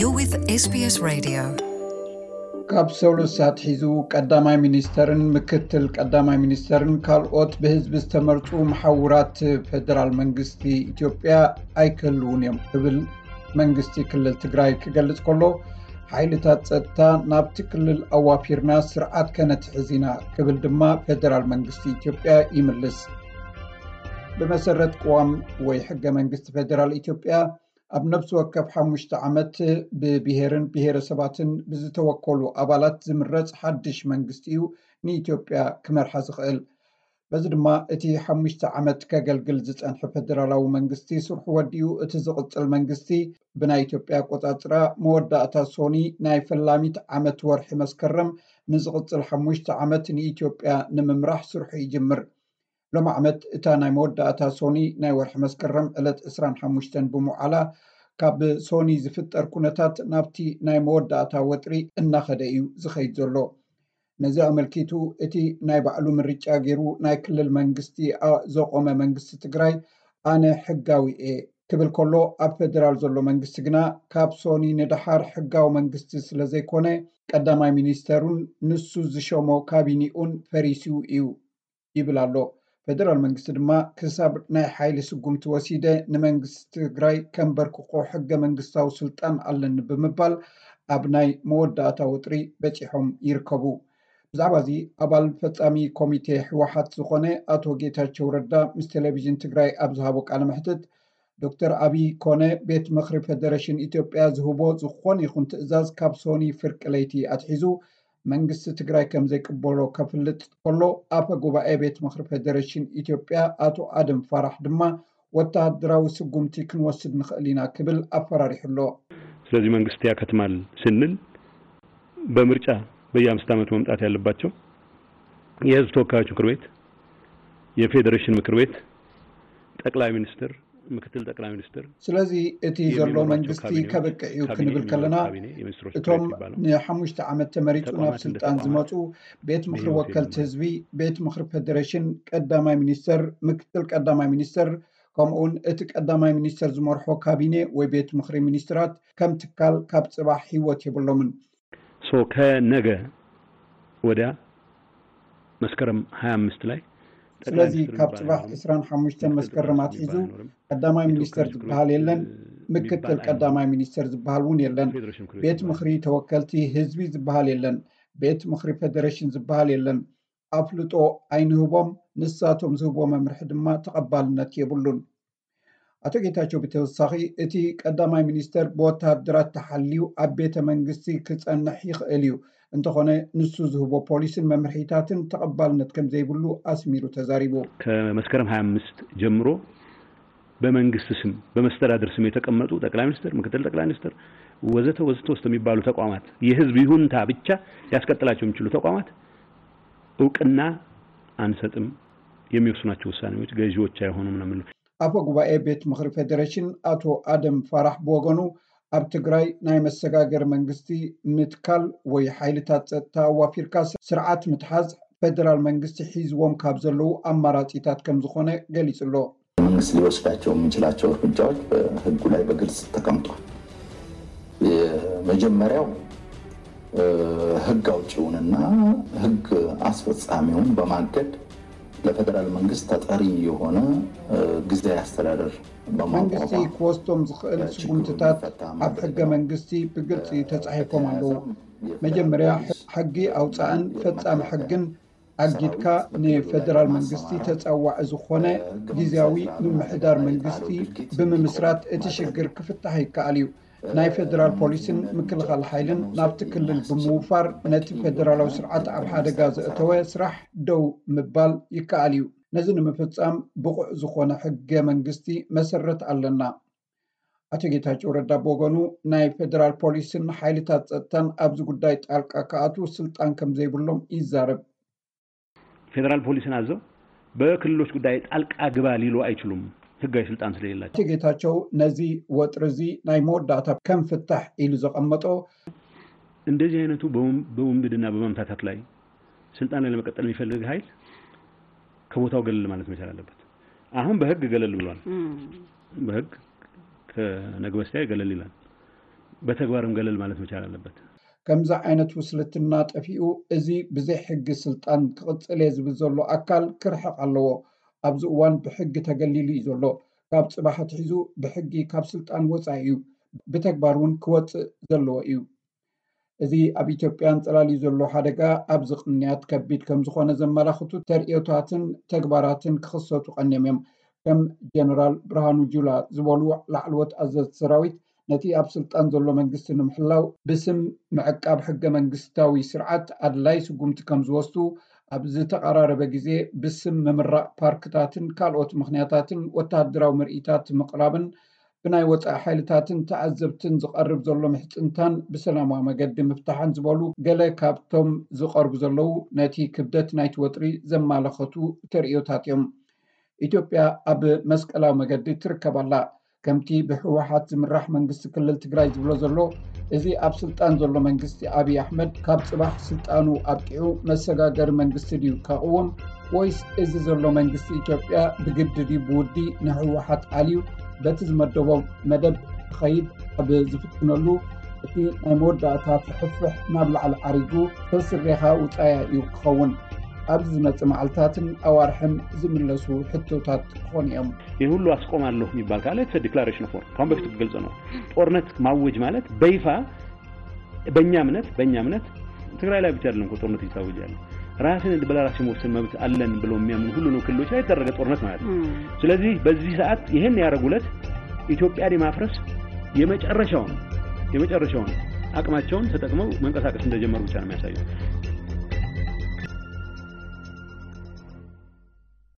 You're with S B S Radio. ካብ ሰሉስ ኣትሒዙ ቀዳማይ ሚኒስተርን ምክትል ቀዳማይ ሚኒስተርን ካልኦት ብህዝቢ ዝተመርጹ መሓውራት ፌደራል መንግስቲ ኢትዮጵያ ኣይክህልውን እዮም ክብል መንግስቲ ክልል ትግራይ ክገልጽ ከሎ፣ ሓይልታት ጸጥታ ናብቲ ክልል ኣዋፊርና ስርዓት ከነትሕዝ ኢና ክብል ድማ ፌደራል መንግስቲ ኢትዮጵያ ይምልስ። ብመሰረት ቅዋም ወይ ሕገ መንግስቲ ፌደራል ኢትዮጵያ፣ ኣብ ነፍሲ ወከፍ ሓሙሽተ ዓመት ብብሄርን ብሄረሰባትን ብዝተወከሉ ኣባላት ዝምረጽ ሓድሽ መንግስቲ እዩ ንኢትዮጵያ ክመርሓ ዝኽእል። በዚ ድማ እቲ ሓሙሽተ ዓመት ከገልግል ዝጸንሐ ፌደራላዊ መንግስቲ ስርሑ ወዲኡ፣ እቲ ዝቕጽል መንግስቲ ብናይ ኢትዮጵያ ኣቆጻጽራ መወዳእታ ሶኒ ናይ ፈላሚት ዓመት ወርሒ መስከረም ንዝቕጽል ሓሙሽተ ዓመት ንኢትዮጵያ ንምምራሕ ስርሑ ይጅምር። ሎሚ ዓመት እታ ናይ መወዳእታ ሶኒ ናይ ወርሒ መስከረም ዕለት ዕስራን ሓሙሽተን ብምውዓላ፣ ካብ ሶኒ ዝፍጠር ኩነታት ናብቲ ናይ መወዳእታ ወጥሪ እናኸደ እዩ ዝኸይድ ዘሎ። ነዚ ኣመልኪቱ እቲ ናይ ባዕሉ ምርጫ ገይሩ ናይ ክልል መንግስቲ ኣ- ዘቆመ መንግስቲ ትግራይ ኣነ ሕጋዊ እየ ክብል ከሎ፣ ኣብ ፌደራል ዘሎ መንግስቲ ግና ካብ ሶኒ ንደሓር ሕጋዊ መንግስቲ ስለ ዘይኮነ፣ ቀዳማይ ሚኒስተሩን ንሱ ዝሸሞ ካቢኒኡን ፈሪሱ እዩ ይብል ኣሎ። ፌደራል መንግስቲ ድማ ክሳብ ናይ ሓይሊ ስጉምቲ ወሲደ ንመንግስቲ ትግራይ ከንበርክኾ ሕገ መንግስታዊ ስልጣን ኣለኒ ብምባል ኣብ ናይ መወዳእታ ወጥሪ በጺሖም ይርከቡ። ብዛዕባ እዚ ኣባል ፈጻሚ ኮሚቴ ህወሓት ዝኾነ ኣቶ ጌታቸው ረዳ ምስ ቴሌቪዥን ትግራይ ኣብ ዝሃቦ ቃለ መሕትት፣ ዶክተር ኣብይ ኮነ ቤት ምኽሪ ፌደሬሽን ኢትዮጵያ ዝህቦ ዝኾነ ይኹን ትእዛዝ ካብ ሶኒ ፍርቂ ለይቲ ኣትሒዙ መንግስቲ ትግራይ ከም ዘይቅበሎ ከፍልጥ ከሎ፣ ኣፈ ጉባኤ ቤት ምኽሪ ፌደሬሽን ኢትዮጵያ ኣቶ ኣደም ፋራሕ ድማ ወተሃደራዊ ስጉምቲ ክንወስድ ንኽእል ኢና ክብል ኣፈራሪሑ ኣሎ። ስለዚህ መንግስት ያከትማል ስንል በምርጫ በየአምስት ዓመት መምጣት ያለባቸው የህዝብ ተወካዮች ምክር ቤት፣ የፌዴሬሽን ምክር ቤት፣ ጠቅላይ ሚኒስትር፣ ምክትል ጠቅላይ ሚኒስትር ስለዚ እቲ ዘሎ መንግስቲ ከብቅዕ እዩ ክንብል ከለና፣ እቶም ንሓሙሽተ ዓመት ተመሪጹ ናብ ስልጣን ዝመጹ ቤት ምኽሪ ወከልቲ ህዝቢ፣ ቤት ምኽሪ ፌደሬሽን፣ ቀዳማይ ሚኒስተር፣ ምክትል ቀዳማይ ሚኒስተር፣ ከምኡውን እቲ ቀዳማይ ሚኒስተር ዝመርሖ ካቢኔ ወይ ቤት ምኽሪ ሚኒስትራት ከም ትካል ካብ ጽባሕ ህይወት የብሎምን። ሶ ከነገ ወዲያ መስከረም ሃያ አምስት ላይ ስለዚ ካብ ጽባሕ ዕስራን ሓሙሽተን መስከረም ኣትሒዙ ቀዳማይ ሚኒስተር ዝበሃል የለን፣ ምክትል ቀዳማይ ሚኒስተር ዝበሃል እውን የለን፣ ቤት ምኽሪ ተወከልቲ ህዝቢ ዝበሃል የለን፣ ቤት ምኽሪ ፌደሬሽን ዝበሃል የለን። ኣፍልጦ ኣይንህቦም፣ ንሳቶም ዝህብዎ መምርሒ ድማ ተቐባልነት የብሉን። ኣቶ ጌታቸው ብተወሳኺ፣ እቲ ቀዳማይ ሚኒስተር ብወተሃደራት ተሓልዩ ኣብ ቤተ መንግስቲ ክጸንሕ ይኽእል እዩ፣ እንተኾነ ንሱ ዝህቦ ፖሊስን መምርሒታትን ተቐባልነት ከም ዘይብሉ ኣስሚሩ ተዛሪቡ። ከመስከረም ሃያ አምስት ጀምሮ በመንግስት ስም በመስተዳድር ስም የተቀመጡ ጠቅላይ ሚኒስትር፣ ምክትል ጠቅላይ ሚኒስትር ወዘተ ወዘተ ወዘተ የሚባሉ ተቋማት የህዝብ ይሁንታ ብቻ ያስቀጥላቸው የሚችሉ ተቋማት እውቅና አንሰጥም፣ የሚወስኗቸው ውሳኔዎች ገዢዎች አይሆኑም ነው የምንለው። ኣፈ ጉባኤ ቤት ምኽሪ ፌዴሬሽን ኣቶ ኣደም ፋራሕ ብወገኑ፣ ኣብ ትግራይ ናይ መሰጋገሪ መንግስቲ ምትካል ወይ ሓይልታት ጸጥታ ኣዋፊርካ ስርዓት ምትሓዝ ፌደራል መንግስቲ ሒዝዎም ካብ ዘለዉ ኣማራጺታት ከም ዝኾነ ገሊጹ ኣሎ። መንግስት ሊወስዳቸው የሚችላቸው እርምጃዎች በህጉ ላይ በግልጽ ተቀምጧል። የመጀመሪያው ህግ አውጪውንና ህግ አስፈጻሚውን በማገድ ለፌደራል መንግስት ተጠሪ የሆነ ጊዜያዊ አስተዳደር መንግስቲ ክወስዶም ዝኽእል ስጉምትታት ኣብ ሕገ መንግስቲ ብግልፂ ተፃሒፎም ኣለዉ። መጀመርያ ሕጊ ኣውፃእን ፈፃሚ ሕግን ኣጊድካ ንፌደራል መንግስቲ ተፀዋዒ ዝኾነ ግዝያዊ ምምሕዳር መንግስቲ ብምምስራት እቲ ሽግር ክፍታሕ ይከኣል እዩ። ናይ ፌደራል ፖሊስን ምክልኻል ሓይልን ናብቲ ክልል ብምውፋር ነቲ ፌደራላዊ ስርዓት ኣብ ሓደጋ ዘእተወ ስራሕ ደው ምባል ይከኣል እዩ። ነዚ ንምፍፃም ብቑዕ ዝኾነ ሕገ መንግስቲ መሰረት ኣለና። ኣቶ ጌታቸው ረዳ ብወገኑ ናይ ፌደራል ፖሊስን ሓይልታት ፀጥታን ኣብዚ ጉዳይ ጣልቃ ክኣትዉ ስልጣን ከም ዘይብሎም ይዛረብ። ፌደራል ፖሊስን ኣዘው በክልሎች ጉዳይ ጣልቃ ግባ ሊሉ ኣይችሉም፣ ህጋዊ ስልጣን ስለሌላቸው። ኣቶ ጌታቸው ነዚ ወጥሪ እዚ ናይ መወዳእታ ከም ፍታሕ ኢሉ ዘቐመጦ፣ እንደዚህ አይነቱ በውንብድና በማምታታት ላይ ስልጣን ላይ ለመቀጠል የሚፈልግ ኃይል ከቦታው ገለል ማለት መቻል አለበት። አሁን በህግ ገለል ብሏል። በህግ ከነገ በስቲያ ገለል ይላል። በተግባርም ገለል ማለት መቻል አለበት። ከምዚ ዓይነት ውስልትና ጠፊኡ፣ እዚ ብዘይ ሕጊ ስልጣን ክቕጽል እየ ዝብል ዘሎ ኣካል ክርሕቕ ኣለዎ። ኣብዚ እዋን ብሕጊ ተገሊሉ እዩ ዘሎ። ካብ ጽባሕ ኣትሒዙ ብሕጊ ካብ ስልጣን ወጻኢ እዩ። ብተግባር እውን ክወጽእ ዘለዎ እዩ። እዚ ኣብ ኢትዮጵያ ኣንጸላልዩ ዘሎ ሓደጋ ኣብዚ ቅንያት ከቢድ ከም ዝኾነ ዘመላኽቱ ተርእዮታትን ተግባራትን ክኽሰቱ ቀንዮም እዮም። ከም ጀነራል ብርሃኑ ጁላ ዝበሉ ላዕለዎት ኣዘዝቲ ሰራዊት፣ ነቲ ኣብ ስልጣን ዘሎ መንግስቲ ንምሕላው ብስም ምዕቃብ ሕገ መንግስታዊ ስርዓት ኣድላይ ስጉምቲ ከም ዝወስዱ፣ ኣብ ዝተቐራረበ ግዜ ብስም ምምራቕ ፓርክታትን ካልኦት ምኽንያታትን ወተሃደራዊ ምርኢታት ምቕራብን ብናይ ወጻኢ ሓይልታትን ተዓዘብትን ዝቐርብ ዘሎ ምሕጽንታን ብሰላማዊ መገዲ ምፍታሕን ዝበሉ ገለ ካብቶም ዝቐርቡ ዘለዉ ነቲ ክብደት ናይቲ ወጥሪ ዘማለኸቱ ተርእዮታት እዮም። ኢትዮጵያ ኣብ መስቀላዊ መገዲ ትርከብ ኣላ። ከምቲ ብህወሓት ዝምራሕ መንግስቲ ክልል ትግራይ ዝብሎ ዘሎ፣ እዚ ኣብ ስልጣን ዘሎ መንግስቲ ኣብይ ኣሕመድ ካብ ጽባሕ ስልጣኑ ኣብቂዑ መሰጋገሪ መንግስቲ ድዩ ከቕውም፣ ወይስ እዚ ዘሎ መንግስቲ ኢትዮጵያ ብግዲ ድዩ ብውዲ ንህወሓት ኣልዩ በቲ ዝመደቦ መደብ ክኸይድ ኣብ ዝፍትነሉ፣ እቲ ናይ መወዳእታ ፍሕፍሕ ናብ ላዕሊ ዓሪጉ ተስሬኻ ውጻያ እዩ ክኸውን። ኣብዚ ዝመጽእ መዓልታትን ኣዋርሕን ዝምለሱ ሕቶታት ክኾኑ እዮም። ይህ ሁሉ አስቆማለሁ የሚባል ካለ it's declaration of war። ካሁን በፊት ግልጽ ነው። ጦርነት ማወጅ ማለት በይፋ በእኛ እምነት በእኛ እምነት ትግራይ ላይ ብቻ አይደለም እኮ ጦርነት እየታወጀ ያለ። ራስን በራስ የመወሰን መብት አለን ብለው የሚያምኑ ሁሉንም ክልሎች ላይ የተደረገ ጦርነት ማለት ነው። ስለዚህ በዚህ ሰዓት ይሄን ያደረጉለት ኢትዮጵያን የማፍረስ የመጨረሻውን የመጨረሻውን አቅማቸውን ተጠቅመው መንቀሳቀስ እንደጀመሩ ብቻ ነው የሚያሳዩት።